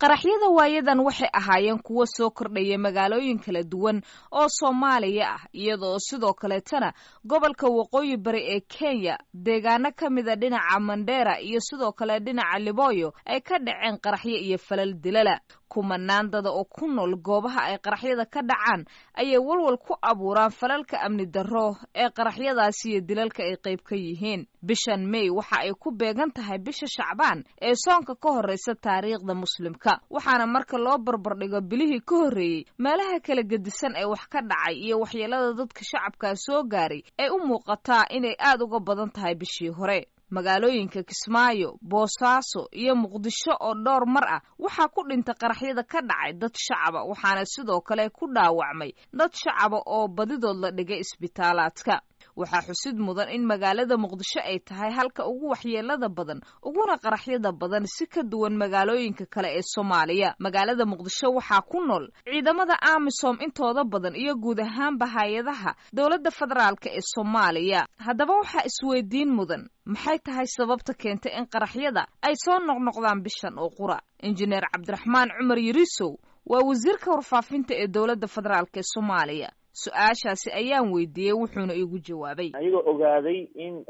Qaraxyada waayadan waxay ahaayeen kuwo soo kordhaya magaalooyin kala duwan oo Soomaaliya ah, iyadoo sidoo kaleetana gobolka Waqooyi Bari ee Kenya deegaano ka mida dhinaca Mandheera iyo sidoo kale dhinaca Liboyo ay ka dhaceen qaraxyo iyo falal dilala. Kumanaan dada oo ku nool goobaha ay qaraxyada ka dhacaan ayay walwal ku abuuraan falalka amni darro ee qaraxyadaasi iyo dilalka ay qayb ka yihiin. Bishan May waxa ay ku beegan tahay bisha Shacbaan ee soonka ka horreysa taariikhda Muslimka, waxaana marka loo barbardhigo bilihii ka horreeyey meelaha kala gedisan ee wax ka dhacay iyo waxyeelada dadka shacabkaa soo gaaray ay u muuqataa inay aad uga badan tahay bishii hore. Magaalooyinka Kismaayo, Boosaaso iyo Muqdisho oo dhowr mar ah waxaa ku dhintay qaraxyada ka dhacay dad shacaba, waxaana sidoo kale ku dhaawacmay dad shacaba oo badidood la dhigay isbitaalaadka. Waxaa xusid mudan in magaalada Muqdisho ay tahay halka ugu waxyeelada badan uguna qaraxyada badan, si ka duwan magaalooyinka kale ee Soomaaliya. Magaalada Muqdisho waxaa ku nool ciidamada AMISOM intooda badan iyo guud ahaanba hay-adaha dowladda federaalka ee Soomaaliya. Haddaba waxaa isweydiin mudan, maxay tahay sababta keentay in qaraxyada ay soo noqnoqdaan bishan oo qura? Injineer Cabdiraxmaan Cumar Yariisow waa wasiirka warfaafinta ee dowladda federaalk ee Soomaaliya. Su-aashaasi ayaan weydiiyey, wuxuuna iigu jawaabay: Ayagoo ogaaday in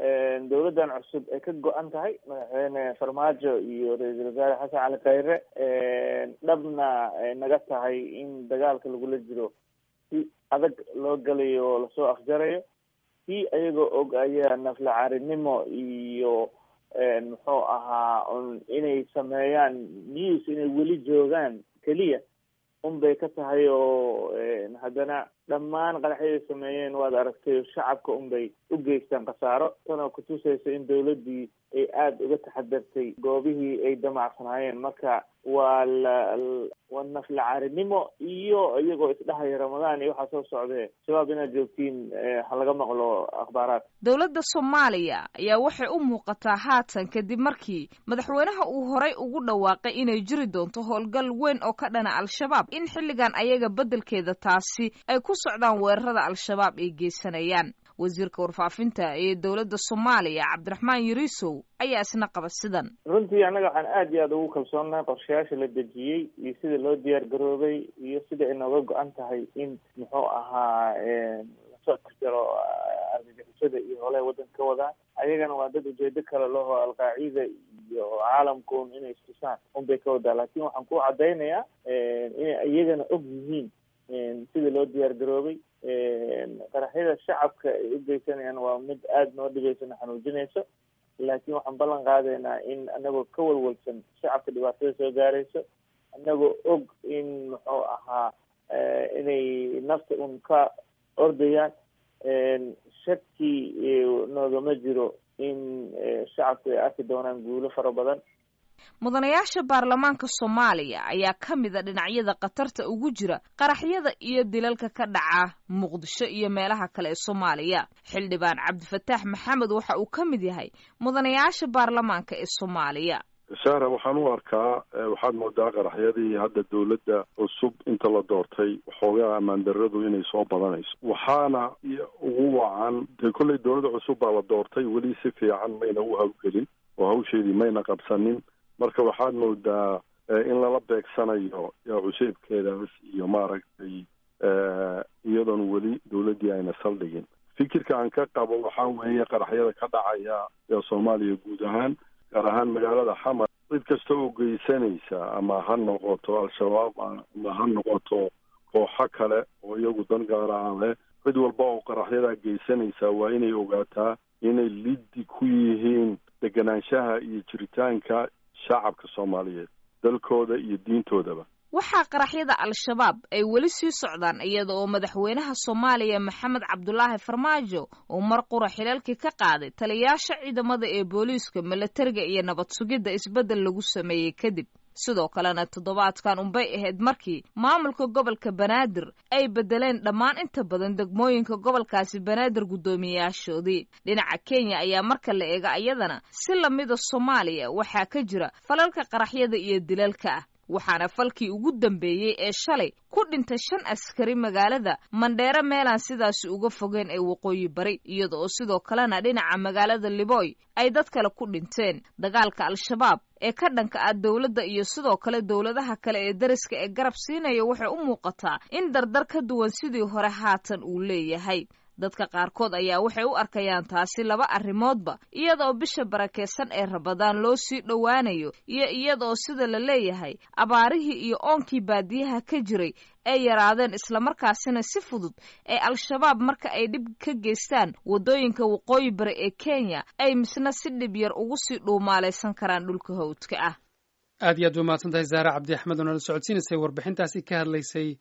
dowladdan cusub ay ka go-an tahay, Madaxweyne Farmaajo iyo Ra-iisul Wasaare Xasan Cali Khayre, dhabna naga tahay in dagaalka lagula jiro si adag loo galayo oo lasoo afjarayo, si ayagoo og ayaa naflacaarinimo iyo muxuu ahaa inay sameeyaan news inay weli joogaan keliya un bay ka tahay. Oo haddana dhammaan qaraxyaday sameeyeen waad aragtay, shacabka un bay u geystaan khasaaro, tanoo kutusaysa in dowladdii ay aada uga taxadartay goobihii ay damacsanaayeen. Marka waa la waa naflacaarinimo iyo iyagoo isdhahaya Ramadaan iyo waxaa soo socdee Shabaab inaad joogtiin ha laga maqlo akhbaaraad. Dowladda Soomaaliya ayaa waxay u muuqataa haatan, kadib markii madaxweynaha uu horay ugu dhawaaqay inay jiri doonto howlgal weyn oo ka dhana Al-Shabaab, in xilligan ayaga beddelkeeda taasi ay ku socdaan weerarada Al-Shabaab ay geysanayaan. Wasiirka warfaafinta ee dowladda Soomaaliya Cabdiraxmaan Yariisow ayaa isna qaba sidan: Runtii annaga waxaan aada iyo aada ugu kalsoonnahay qorshayaasha la dejiyey iyo sida loo diyaar garoobay iyo sida ay nooga go-an tahay in muxuu ahaa lasoo afjaro argagixisada iyo holaha waddanka ka wadaan. Ayagana waa dad ujeedo kale laho, Alqaacida iyo caalamkuun inay istusaan unbay ka wadaa, laakiin waxaan ku caddaynayaa inay iyagana og yihiin sida loo diyaar garoobay. Qaraxyada shacabka ay u geysanayaan waa mid aada noo dhibayso, na xanuujinayso, laakiin waxaan ballan qaadaynaa in anagoo ka walwalsan shacabka dhibaatada soo gaarayso, anagoo og in muxuu ahaa inay nafta un ka ordayaan, shaki noogama jiro in shacabku ay arki doonaan guulo fara badan. Mudanayaasha baarlamaanka Soomaaliya ayaa ka mida dhinacyada khatarta ugu jira qaraxyada iyo dilalka ka dhaca Muqdisho iyo meelaha kale ee Soomaaliya. Xildhibaan Cabdifataax Maxamed waxa uu ka mid yahay mudanayaasha baarlamaanka ee Soomaaliya. Sahra, waxaan u arkaa, waxaad moodaa qaraxyadii hadda dowladda cusub inta la doortay waxoogaa ammaan darradu inay soo badanayso, waxaana ugu wacan dee kolley dowladda cusub baa la doortay, weli si fiican mayna u hawlgelin oo hawsheedii mayna qabsanin. Marka waxaad moodaa in lala beegsanayo cuseybkeedaas iyo maaragtay iyadoon weli dowladdii ayna saldhigin. Fikirka aan ka qabo waxaa weeye qaraxyada ka dhacaya ee Soomaaliya guud ahaan, gaar ahaan magaalada Xamar, cid kasta oo geysanaysa, ama ha noqoto Al-Shabaab ama ha noqoto kooxo kale oo iyagu dan gaara aan leh, cid walba oo qaraxyadaa geysanaysa waa inay ogaataa inay liddi ku yihiin deganaanshaha iyo jiritaanka shacabka Soomaaliyeed, dalkooda iyo diintoodaba. Waxaa qaraxyada Al-Shabaab ay weli sii socdaan iyada oo madaxweynaha Soomaaliya Maxamed Cabdulaahi Farmaajo uu mar qura xilalkii ka qaaday taliyaasha ciidamada ee booliiska, milatariga iyo nabad sugidda isbeddel lagu sameeyey kadib. Sidoo kalena toddobaadkan unbay ahayd markii maamulka gobolka Banaadir ay beddeleen dhammaan inta badan degmooyinka gobolkaasi Banaadir guddoomiyayaashoodii. Dhinaca Kenya ayaa marka la eego ayadana si lamida Soomaaliya waxaa ka jira falalka qaraxyada iyo dilalka ah. Waxaana falkii ugu dambeeyey ee shalay ku dhintay 5 askari magaalada Mandheere, meelaan sidaasi uga fogeen ee waqooyi bari, iyada oo sidoo kalena dhinaca magaalada Liboy ay dad kale ku dhinteen. Dagaalka Al-Shabaab ee ka dhanka ah dowladda iyo sidoo kale dowladaha kale ee dariska ee garab siinaya waxay u muuqataa in dardar ka duwan sidii hore haatan uu leeyahay. Dadka qaarkood ayaa waxay u arkayaan taasi laba arrimoodba, iyadaoo bisha barakeysan ee Rabadaan loo sii dhowaanayo iyo iyadaoo sida la leeyahay abaarihii iyo oonkii baadiyaha ka jiray ay yaraadeen, islamarkaasina si fudud ee Al-Shabaab marka ay dhib ka geystaan waddooyinka waqooyi bari ee Kenya ay misna si dhib yar ugu sii dhuumaalaysan karaan dhulka hawdka ah. Aad iyo aad ba mahadsan tahay Zahra Cabdi Axmed oo nala socodsiinaysay warbixintaasi ka hadlaysay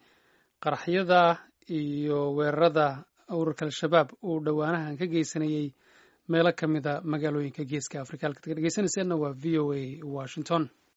qaraxyada iyo weerarada ururka Al-Shabaab uu dhowaanahan ka geysanayey meelo ka mida magaalooyinka Geeska Afrika. Halkaad ka dhegeysanayseena waa VOA Washington.